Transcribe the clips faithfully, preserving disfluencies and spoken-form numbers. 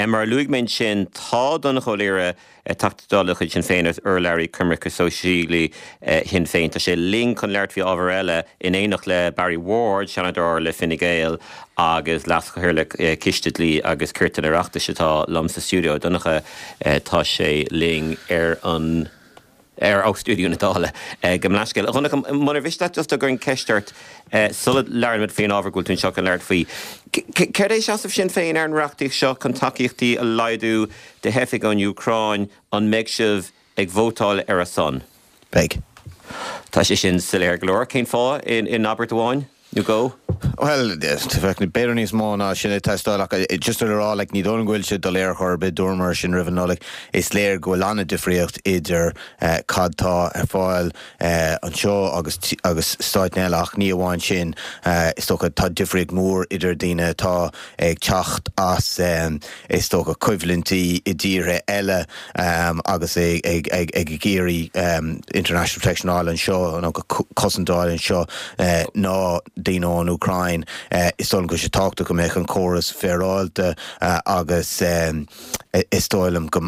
Mar a luaigh mé ansin tá Donnchadh Ó Laoghaire Teachta Dála de chuid Sinn Féin agus urlabhraí coimirce sóisialaí Shinn Féin. Tá sé linn chun labhairt faoi ábhar eile in éineacht le Barry Ward, Seanadóir le Fine Gael agus Leas-Chathaoirleach Coiste Dlí agus Cirt an Oireachtais atá liom sa stiúideo. Donnchadh tá sé linn ar an ar ó stiúideo na Dála gabh mo leithscéal. Donnchadh munar mhiste leat just go gcuirfinn ceist ort sula labhraímid faoin ábhar go bhfuil tú anseo chun labhairt faoi. Céard é seasamh Sinn Féin ar an reachtaíocht seo chun tacaíochtaí a laghdú do theifigh ón Úcráin an mbeidh sibh ag vótáil ar a son? Beidh. Tá sé sin soiléir go leor cén fáth in, in abairt amháin nó go? Well b'fhéidir níos mó ná sin ag teastáil ach just rá le ní dóigh bhfuil sé doiléir chor ar bith dúramar sin roimh an Nollaig is léir go bhfuil an-difríocht idir cad tá ar fáil anseo agus agus stáit eile ach ní amháin sin is dócha tá difríocht mór idir daoine atá ag teacht as is dócha coimhlintí i dtíortha eile agus ag ag ag ag iarraidh international protection fháil anseo nó cosaint fháil anseo ná daoine ón Úcráin is dóigh go sé tábhachtach go mbeadh an córas féaráilte agus is dóigh liom go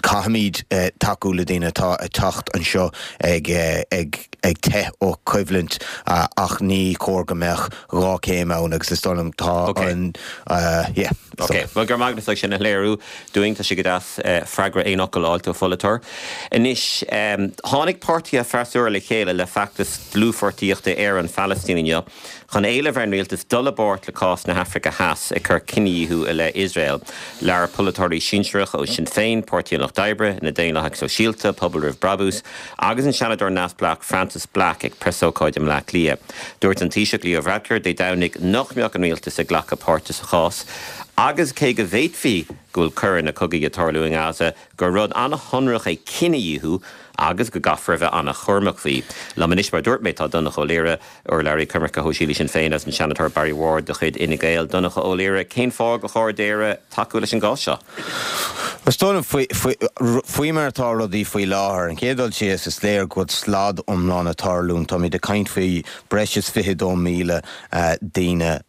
caithfimid tacú le daoine atá ag teacht anseo ag ag ag teitheadh ó choimhlint ach ní chóir go mbeadh dhá chéim ann agus is dóigh liom tá an yeah. Ok, well gur magus sin a léiriú dúinn tá sé go deas freagra aon fhocal a fháil ó pholaiteoir. Anois tháinig páirtithe freasúra le chéile le feachtas dlúthpháirtíochta ar an Phalaistín inniu chun éileamh ar an rialtas dul i bpáirt le cás na hAfraice Theas ag cur cinedhíothú i leith Iosrael. Labhair polaiteoirí sinsearacha ó Sinn Féin, Páirtí an Lucht Oibre, na Daonlathaigh Sóisialta, Pobal Roimh Brabús, agus an Seanadóir neamhspleách Frances Black ag preasócáid i mBleá Cliath. Dúirt an Taoiseach Leo Varadkar Dé Domhnaigh nach mbeadh an rialtas ag glacadh páirte sa chás, agus cé go bhféadfaí go bhfuil coireanna cogaidh ag tarlú in Gaza gur rud an-shonrach é cinedhíothú agus go gcaithfear a bheith an-chúramach faoi. Liom anois mar dúirt mé tá Donnchadh Ó Laoghaire urlabhraí coimirce sóisialaí Sinn Féin agus an Seanadóir Barry Ward de chuid Fhine Gael Donnchadh Ó Laoghaire cén fáth gur chóir d'Éire tacú leis an gcás seo. Is dóigh faoi mar atá rudaí faoi láthair an chéad dul síos is léir go bhfuil slad iomlán ag tarlú Táimid ag caint faoi breis is fiche dó míle daoine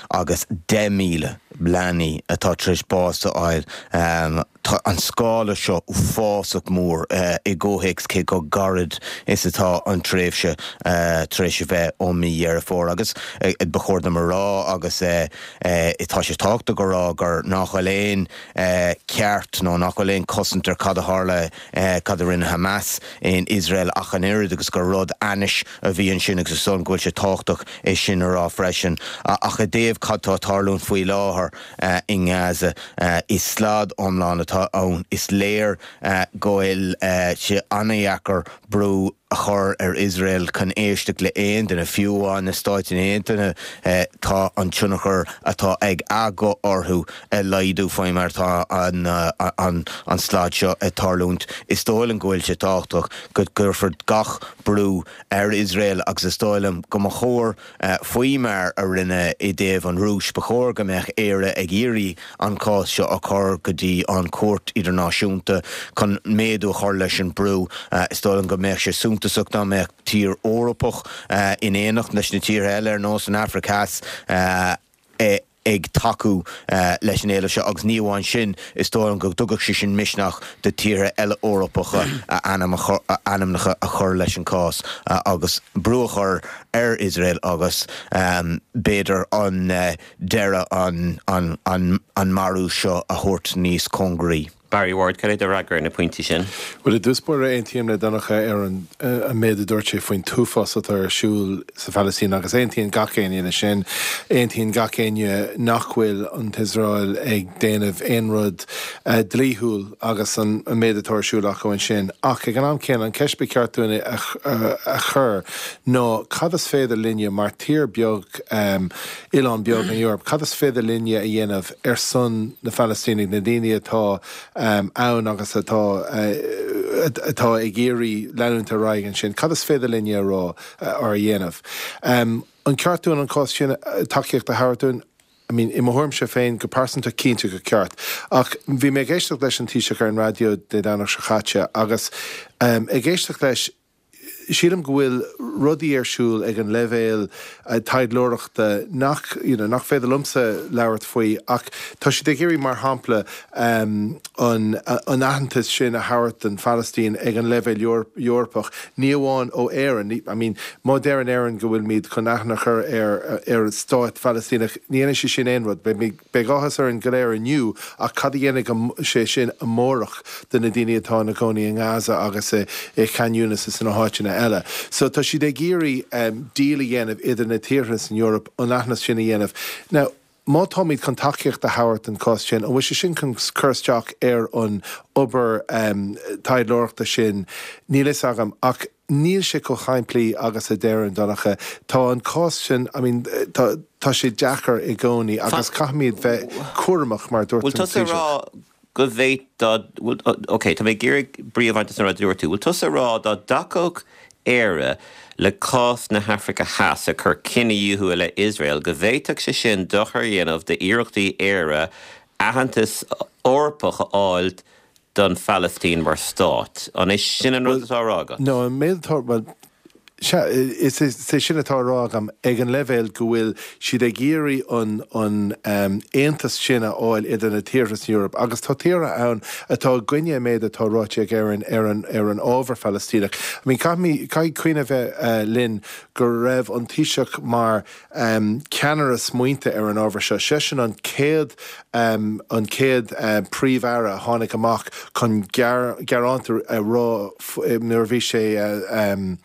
agus deich míle leanaí atá tar éis bás a fháil. Tá an scála seo uafásach mór i gcomhthéacs cé chomh gairid is atá an tréimhse tar éis a bheith ó mí Dheireadh Fómhair agus ba chóir dom a rá agus tá sé tábhachtach a rá gur nach bhfuil aon ceart nó nach bhfuil aon cosaint ar cad a tharla cad a rinne Hamas in Iosrael ach an oiread agus gur rud ainnis a bhí ansin agus is dóigh go bhfuil sé tábhachtach é sin a rá freisin ach i dtaobh cad tá ag tarlú faoi láthair i nGaza is slad iomlán atá ann is léir go bhfuil sé an-deacair brú a chur ar Iosrael chun éisteacht le aon duine fiú amháin na Stáit Aontaithe tá an tionchar atá ag a guth orthu ag laghdú faoi mar tá an an an slad seo ag tarlúint. Is dóigh liom go bhfuil sé tábhachtach go gcuirfear gach brú ar Iosrael agus is dóigh liom go mba chóir faoi mar a rinne i dtaobh an Rúis ba chóir go mbeadh Éire ag iarraidh an cás seo a chur go dtí an Chúirt Idirnáisiúnta chun méadú a chur leis an brú is dóigh liom go mbeadh sé suntasach dá mbeadh tír Eorpach in éineacht leis na tíortha eile ar nós an Afraic Theas ag tacú leis an éileamh seo agus ní amháin sin is dóigh go dtugadh sé sin misneach do tíortha eile Eorpacha a ainmneacha a chur leis an cás agus brú a chur ar Iosrael agus b'fhéidir an deireadh an an an an marú seo a thabhairt níos cóngaraí. Barry Ward cad é do fhreagra ar na pointí sin. Well i dtús báire aontaím le Donnchadh ar an an méid a dúirt sé faoin t-uafás atá ar siúl sa Phalaistín agus aontaíonn gach éinne leis sin aontaíonn gach éinne nach bhfuil an tIosrael ag déanamh aon rud uh, dlíthiúil agus an, an méid atá ar siúl acu ansin ach ag an am céanna an ceist ba cheart dúinn a, a, a chur ná cad is féidir linne mar tír beag um, oileán beag in Eoraip, cad is féidir linne a dhéanamh ar son na Phalaistínigh na daoine atá um, ann agus atá uh, atá ag iarraidh leanúint ar aghaidh ansin, cad is féidir linne a rá uh, ar a dhéanamh. Um, an ceart dúinn an cás sin tacaíocht a thabhairt dúinn I mean, i mo thuairimse féin go pearsanta cinnte gur ceart. Ach bhí mé ag éisteacht leis an Taoiseach ar an raidió Dé Domhnaigh seo caite agus um, ag éisteacht leis Sílim go bhfuil rudaí ar siúl ag an leibhéal taidhleoireachta nach you know, nach féidir liomsa labhairt faoi ach tá siad ag iarraidh mar shampla um, an, an aitheantas sin a thabhairt don Phalaistín ag an leibhéal Eorpach ní amháin ó Éirinn. I mean, má deireann Éirinn go bhfuilmid chun aithne a chur ar ar stát Phalaistíneach ní dhéanfaidh sé sin aon rud, beidh áthas orainn go léir inniu ach cad a dhéanfaidh sé sin amárach do na daoine atá ina gcónaí i nGaza agus i Khan Yunis is na háiteanna eile. So tá siad ag iarraidh um, deal a dhéanamh idir na tíortha san Eoraip an aitheantas sin a dhéanamh. Now, má táimid chun tacaíocht a thabhairt an cás sin, an bhfuil sé sin chun cur isteach ar an obair um, taidhleoireachta sin níl fhios agam ach níl sé chomh simplí agus a deireann Donncha. Tá an cás sin I mean, tá, tá sé deacair i gcónaí agus caithfimid bheith cúramach mar dúirt Bhfuil tusa rá go bhféadfadh Ok, Tá mé ag iarraidh brí a bhaint as an rud a dúirt tú. Bhfuil tusa rá dá dtacódh Éire le cás na hAfraice Theas ag cur cinedhíothú i leith Iosrael go bhféadfadh sé sin dochar a dhéanamh d'iarrachtaí Éire aitheantas Eorpach a fháil don Phalaistín mar stát. An é sin an rud atá á rá agat? No, an méid atá well, Is é sin atá á rá agam ag an leibhéal go bhfuil siad ag iarraidh an an um, aontas sin a fháil idir na tíortha san Eoraip agus tá tíortha ann atá i gcoinne an méid atá ráite ag Éirinn ar an ar an ábhar Phalaistíneach. I mean caithfidh cuimhneamh bheith uh, linn go raibh an Taoiseach mar um, ceannaire smaointe ar an ábhar seo. Seisean an chéad um, an chéad uh, príomh-aire a tháinig amach chun gearán a rá nuair a bhí sé uh, um,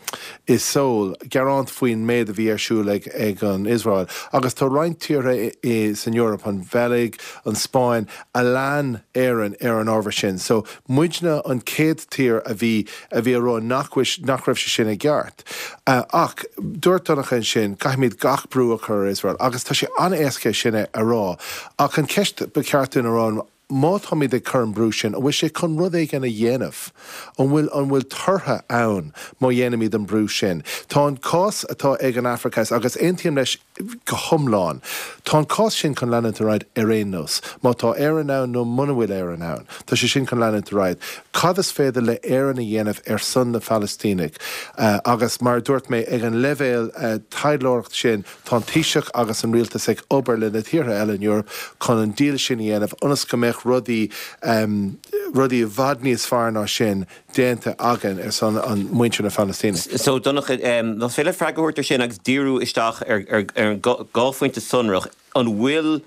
i Seoul gearán faoin méid a bhí ar siúl ag, ag an Israel. Agus tá roinnt tíortha san Eoraip an Bheilg, an Spáinn, a lean Éirinn ar an ábhar sin. So muidne an chéad tír a bhí a bhí a rá nach nach raibh sé sin i gceart. Uh, ach dúirt Donncha ansin caithfimid gach brú a chur ar Israel, agus tá sé an-éasca sin a rá. Ach an ceist ba cheart dúinn a rá má táimid ag cur an brú sin, an bhfuil sé chun rud éigin a dhéanamh, an bhfuil an bhfuil tortha ann má dhéanaimid an brú sin. Tá an cás atá ag an Afraic Theas agus aontaím leis go hiomlán. Tá an cás sin chun leanúint ar aghaidh ar aon nós. Má tá Éirinn ann nó muna bhfuil Éirinn ann. Tá sé sin chun leanúint ar aghaidh. Cad is féidir le Éirinn a dhéanamh ar son na Phalaistínigh uh, agus mar dúirt mé ag an leibhéal uh, taidhleoireacht sin tá an Taoiseach agus an rialtas ag obair le na tíortha eile in Eoraip chun an deal sin a dhéanamh ionas go mbeadh rudaí um, rudaí i bhfad níos fearr ná sin déanta againn ar son an muintir na Phalaistíne. So Donncha um, más féidir freagra a thabhairt ar sin agus díriú isteach ar, ar, ar an dhá phointe sonrach an bhfuil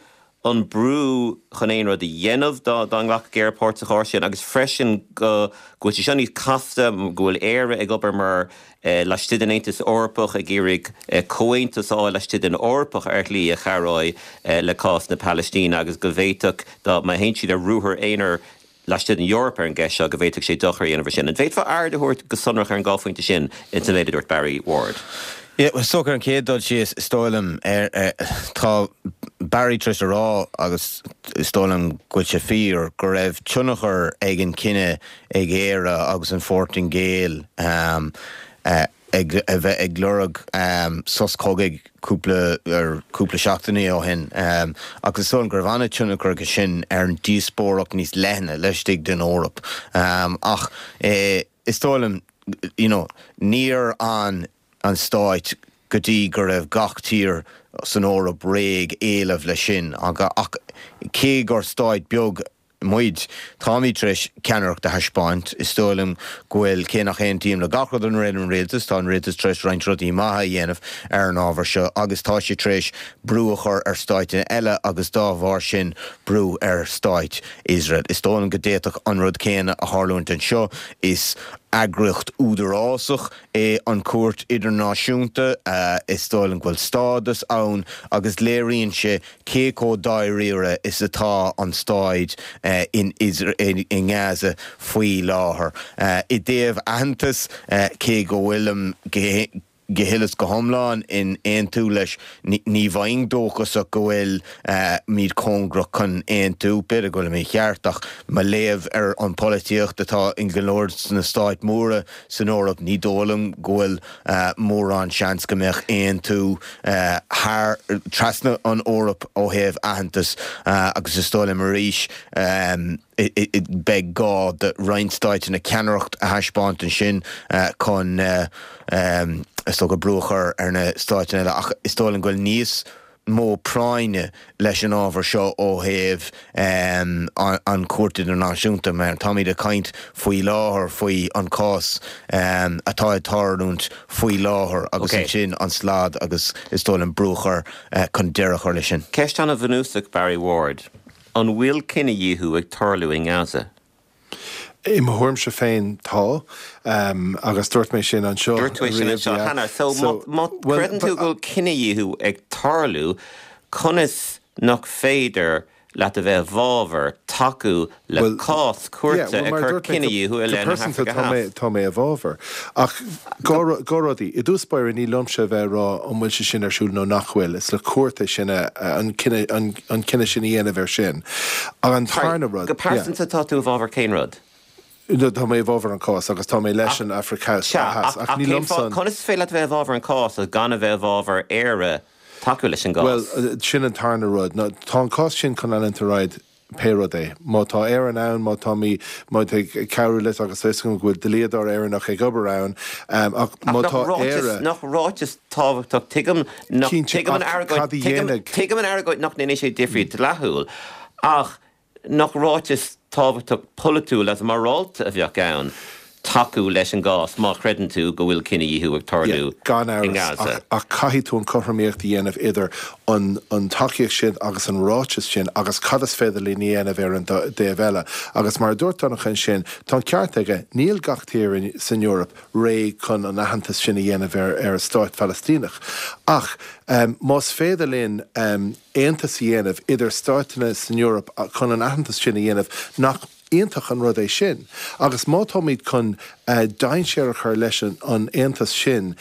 an brú chun aon rud a dhéanamh dá dá nglacfadh Éire páirt sa chás sin agus freisin go go bhfuil sé seo níos casta go bhfuil Éire ag obair mar eh, laistigh den Aontas Eorpach ag iarraidh eh, comhaontas a fháil laistigh den Eorpach ar shlí a chabhróidh eh, le cás na Palaistíne agus go bhféadfadh dá má théann siad ar ruathar aonair laistigh den Eoraip ar an gceist seo go bhféadfadh sé dochar a dhéanamh sin. An bhféadfá aird a thabhairt go sonrach ar an dhá phointe sin in san méid a dúirt Barry Ward. Yeah, well, so ar an chéad dul síos is dóigh liom ar tá Barry tar éis a rá agus is dóigh liom go bhfuil sé fíor go raibh tionchar ag an cinneadh ag Éire agus an Phortaingéil um, uh, ag a bheith ag lorg um, sos cogaidh cúpla ar cúpla seachtainí ó shin um, agus is dóigh go raibh an-tionchar aige sin ar an díospóireacht níos leithne laistigh den Eoraip. Um, ach eh, is dóigh liom you know, níor an an stáit go dtí go raibh gach tír san Eoraip réidh éileamh le sin ach cé gur stáit beag muid táimid tar éis ceannaireacht a thaispeáint is dóigh liom go bhfuil cé nach n-aontaím le gach rud an réad an rialtas tá an rialtas tar éis roinnt rudaí maithe a dhéanamh ar an ábhar seo agus tá sé tar éis brú a chur ar stáit eile agus dá bharr sin brú ar stáit Iosrael. Is dóigh liom go d'fhéadfadh an rud céanna a tharlúint anseo is eagraíocht údarásach é an Chúirt Idirnáisiúnta uh, is dóigh liom go bhfuil stádas ann agus léiríonn sé cé chomh dáiríre is atá an staid uh, in in, in Gaza faoi láthair. Uh, I dtaobh aitheantas uh, cé go bhfuilim go huile is go hiomlán in aontú leis ní bheinn dóchasach go bhfuil muid cóngarach chun aontú, b'fhéidir go bhfuil mé mícheart ach mo léamh ar an polaitíocht atá in go leor sna stáit móra san Eoraip ní dóigh liom go bhfuil mórán seans go mbeadh aontú thar trasna an Eoraip ó thaobh aitheantas agus is dóigh liom arís beidh gá do roinnt stáiteanna ceannaireacht a thaispeáint ansin chun is dócha brú a chur ar na stáiteanna eile ach is dóigh liom go bhfuil níos mó práinne leis an ábhar seo ó thaobh an Chúirt Idirnáisiúnta mar táimid ag caint faoi láthair faoi an cás atá ag tarlúint faoi láthair agus ansin an slad agus is dóigh liom brú a chur chun deireadh a chur leis sin. Ceist an-bhunúsach Barry Ward. An bhfuil cinedhíothú ag tarlú i nGaza? I mo thuairimse féin tá, agus dúirt mé sin anseo. Dúirt tú é sin anseo cheana. So má chreideann tú go bhfuil cinedhíothú ag tarlú, conas nach féidir leat a bheith i bhfabhar tacú le cás cúirte ag cur cinedhíothú i leith na hAfraice Theas? Tá mé i bhfabhar. Ach dhá rudaí. I dtús báire ní liomsa a bheith ag rá an bhfuil sé sin ar siúl nó nach bhfuil. Is le cúirt é sin an cinneadh sin a dhéanamh air sin. Ach an tarna rud. Go pearsanta tá tú i bhfabhar cén rud? Tá mé i bhfabhar an cás agus tá mé leis an Afraic Theas. Ach ní liomsa. Conas is féidir leat a bheith i bhfabhar an cás agus gan a bheith i bhfabhar Éire tacú leis an gcás? Bhuel, sin an tarna rud. Tá an cás sin chun leanúint ar aghaidh pé rud é. Má tá Éirinn ann, má tá mé má tá ag cabhrú leis agus tá fhios agam go bhfuil dlíodóir Éireannach ag obair ann, ach má tá Éire. Nach ráiteas tábhachtach, tuigim nach, tuigim an argóint, tuigim an argóint nach ndéanfaidh sé difríocht dleathúil, ach nach ráiteas tábhachtach polaitiúil agus morálta a bheadh ann tacú leis an gcás má chreideann tú go bhfuil cinedhíothú ag tarlú Gan amhras, i nGaza. ach caithfidh tú an chothromaíocht a dhéanamh idir an an tacaíocht sin agus an ráiteas sin agus cad is féidir linn a dhéanamh ar an dtaobh eile. Agus mar a dúirt Donncha ansin, tá an ceart aige, níl gach tír san Eoraip réidh chun an aitheantas sin a dhéanamh ar ar stát Phalaistíneach. Ach más féidir linn aontas a dhéanamh idir stáiteanna san Eoraip chun an aitheantas sin a dhéanamh, nach iontach an rud é sin? Agus má táimid chun dainséar a chur leis an aontas sin,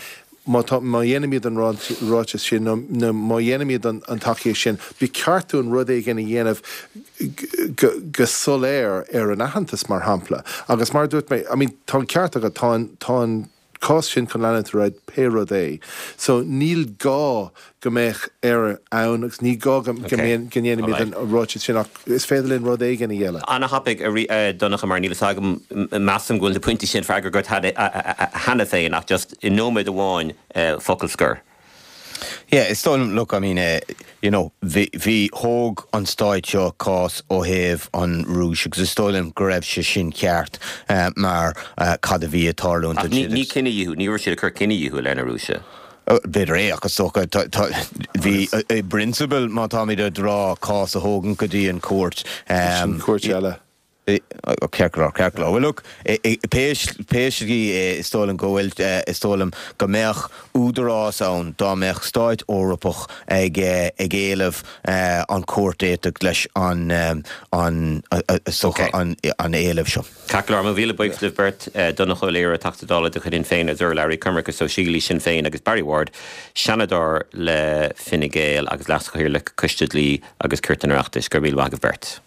má tá, má dhéanaimid an ráiteas sin nó má dhéanaimid an tacaíocht sin, ba cheart dúinn rud éigin a dhéanamh go soiléir ar an aitheantas, mar shampla. Agus mar a dúirt mé, I mean, tá an ceart agat, tá an, tá an cás sin chun leanúint ar aghaidh pé rud é. So níl gá go mbeadh Éire ann agus ní gá go ndéanfaimid an ráiteas sin ach is féidir linn rud éigin a dhéanamh. An-thapaidh, a Dhonncha, mar níl fhios agam, measaim go bhfuil na pointí sin freagartha agat cheana féin ach just i nóiméad amháin focal scoir. Yeah, is dóigh liom, look, I mean, eh, you know, bhí, bhí, thóg an stáit seo cás ó thaobh an Rúis agus is dóigh liom go raibh sé sin ceart eh, mar eh, cad a bhí ag tarlúint Ach ní, ní cinedhíothú, ní raibh siad ag cur cinedhíothú i leith na Rúise. B'fhéidir é ach is dócha, tá, tá, bhí, i bprionsabal má táimid ag rá cás a thógaint go dtí an cúirt, Sin cúirt eile. Ceart go leor, ceart go leor. Bhuel look, pé pé slí é, is dóigh liom go bhfuil, is dóigh liom go mbeadh údarás ann dá mbeadh stáit Eorpach ag ag éileamh an chúirt éifeacht leis an an is dócha an an éileamh seo. Ceart go leor, mo mhíle buíochas libh beirt, Donncha Ó Laoghaire, Teachta Dála de chuid Shinn Féin agus urlabhraí coimirce sóisialaí Sinn Féin agus Barry Ward, Seanadóir le Fine Gael agus Leas-Chathaoirleach Coiste Dlí agus Cirt an Oireachtais. Go raibh míle maith agaibh beirt.